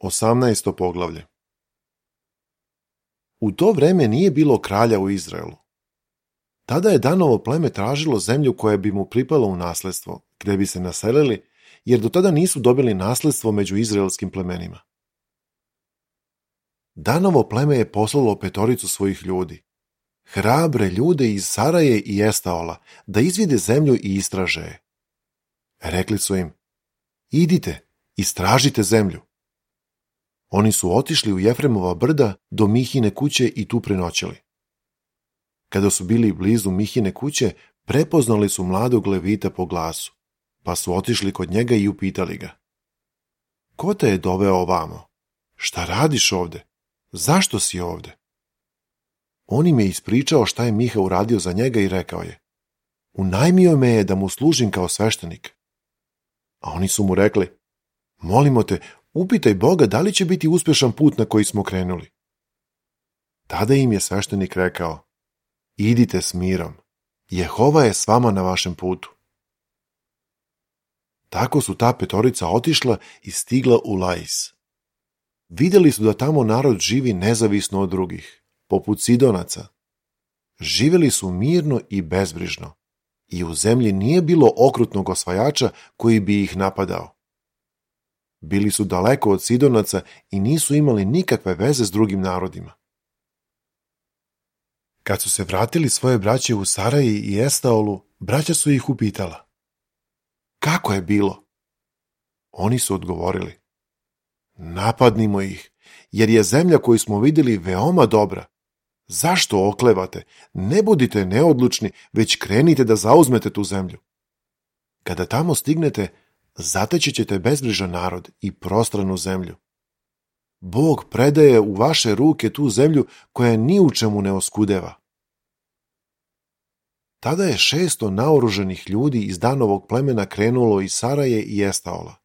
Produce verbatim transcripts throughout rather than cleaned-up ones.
Osamnaesto poglavlje. U to vreme nije bilo kralja u Izraelu. Tada je Danovo pleme tražilo zemlju koja bi mu pripala u nasledstvo, gde bi se naselili, jer do tada nisu dobili nasledstvo među izraelskim plemenima. Danovo pleme je poslalo petoricu svojih ljudi, hrabre ljude iz Saraje i Estaola, da izvide zemlju i istraže je. Rekli su im: idite, istražite zemlju. Oni su otišli u Jefremova brda do Mihine kuće i tu prenoćili. Kada su bili blizu Mihine kuće, prepoznali su mladog Levita po glasu, pa su otišli kod njega i upitali ga: ko te je doveo ovamo? Šta radiš ovde? Zašto si ovde? On im je ispričao šta je Miha uradio za njega i rekao je: unajmio me je da mu služim kao sveštenik. A oni su mu rekli: molimo te, upitaj Boga da li će biti uspešan put na koji smo krenuli. Tada im je sveštenik rekao: idite s mirom, Jehova je s vama na vašem putu. Tako su ta petorica otišla i stigla u Lais. Videli su da tamo narod živi nezavisno od drugih, poput Sidonaca. Živeli su mirno i bezbrižno, i u zemlji nije bilo okrutnog osvajača koji bi ih napadao. Bili su daleko od Sidonaca i nisu imali nikakve veze s drugim narodima. Kad su se vratili svoje braće u Saraji i Estaolu, braća su ih upitala: kako je bilo? Oni su odgovorili: napadnimo ih, jer je zemlja koju smo vidjeli veoma dobra. Zašto oklevate? Ne budite neodlučni, već krenite da zauzmete tu zemlju. Kada tamo stignete, zateći ćete bezbrižan narod i prostranu zemlju. Bog predaje u vaše ruke tu zemlju koja ni u čemu ne oskudeva. Tada je šesto naoruženih ljudi iz Danovog plemena krenulo iz Saraje i Estaola.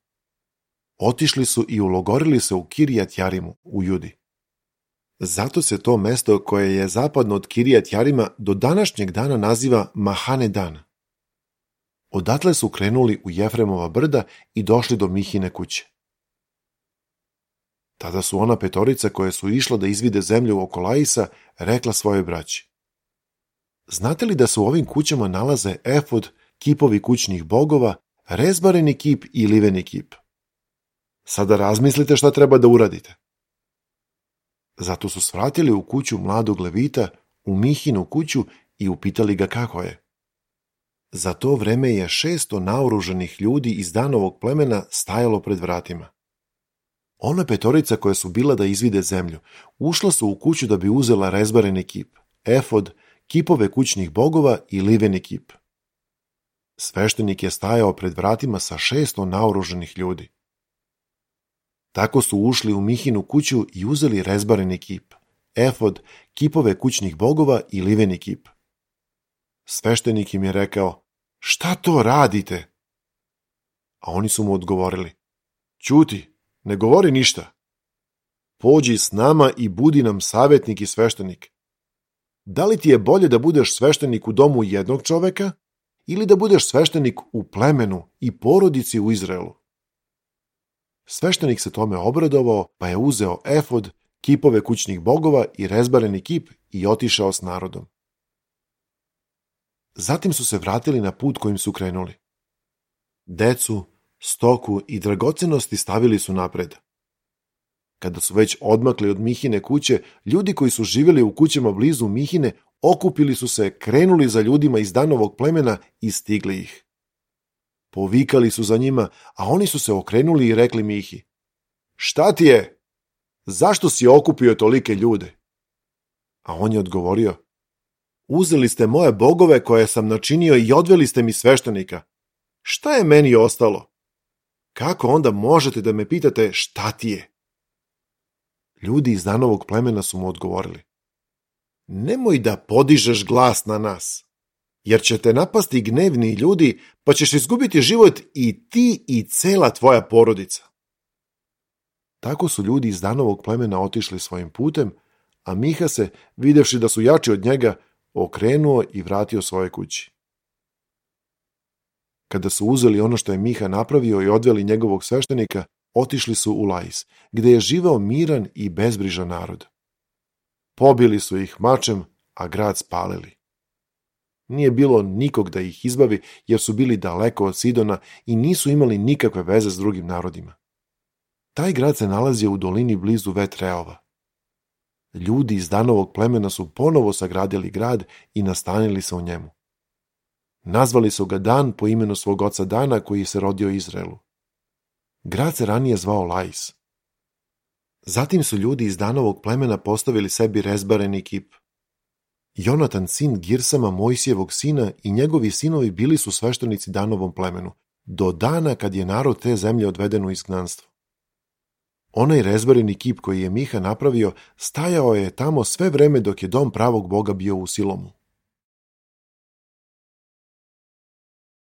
Otišli su i ulogorili se u Kirjat Jarimu u Judi. Zato se to mesto koje je zapadno od Kirjat Jarima do današnjeg dana naziva Mahane Dan. Odatle su krenuli u Jefremova brda i došli do Mihine kuće. Tada su ona petorica koje su išla da izvide zemlju oko Laisa rekla svojoj braći: znate li da se u ovim kućama nalaze efod, kipovi kućnih bogova, rezbareni kip i liveni kip? Sada razmislite šta treba da uradite. Zato su svratili u kuću mladog Levita, u Mihinu kuću, i upitali ga kako je. Za to vreme je šesto naoruženih ljudi iz Danovog plemena stajalo pred vratima. Ona petorica koja su bila da izvide zemlju, ušla su u kuću da bi uzela rezbareni kip, efod, kipove kućnih bogova i liveni kip. Sveštenik je stajao pred vratima sa šesto naoruženih ljudi. Tako su ušli u Mihinu kuću i uzeli rezbareni kip, efod, kipove kućnih bogova i liveni kip. Sveštenik im je rekao: šta to radite? A oni su mu odgovorili: ćuti, ne govori ništa. Pođi s nama i budi nam savjetnik i sveštenik. Da li ti je bolje da budeš sveštenik u domu jednog čoveka ili da budeš sveštenik u plemenu i porodici u Izraelu? Sveštenik se tome obradovao, pa je uzeo efod, kipove kućnih bogova i rezbareni kip i otišao s narodom. Zatim su se vratili na put kojim su krenuli. Decu, stoku i dragocenosti stavili su napred. Kada su već odmakli od Mihine kuće, ljudi koji su živjeli u kućama blizu Mihine okupili su se, krenuli za ljudima iz Danovog plemena i stigli ih. Povikali su za njima, a oni su se okrenuli i rekli Mihi: šta ti je? Zašto si okupio tolike ljude? A on je odgovorio: uzeli ste moje bogove koje sam načinio i odveli ste mi sveštenika. Šta je meni ostalo? Kako onda možete da me pitate šta ti je? Ljudi iz Danovog plemena su mu odgovorili: nemoj da podižeš glas na nas, jer će te napasti gnevni ljudi, pa ćeš izgubiti život i ti i cela tvoja porodica. Tako su ljudi iz Danovog plemena otišli svojim putem, a Miha se, videvši da su jači od njega, okrenuo i vratio svoje kući. Kada su uzeli ono što je Miha napravio i odveli njegovog sveštenika, otišli su u Lais, gde je živeo miran i bezbrižan narod. Pobili su ih mačem, a grad spalili. Nije bilo nikog da ih izbavi, jer su bili daleko od Sidona i nisu imali nikakve veze s drugim narodima. Taj grad se nalazio u dolini blizu Vetreova. Ljudi iz Danovog plemena su ponovo sagradili grad i nastanili se u njemu. Nazvali su ga Dan po imenu svog oca Dana koji se rodio Izraelu. Grad se ranije zvao Lais. Zatim su ljudi iz Danovog plemena postavili sebi rezbareni kip. Jonatan, sin Girsama, Mojsijevog sina, i njegovi sinovi bili su sveštenici Danovom plemenu, do dana kad je narod te zemlje odveden u izgnanstvo. Onaj rezbareni kip koji je Miha napravio stajao je tamo sve vreme dok je dom pravog Boga bio u Silomu.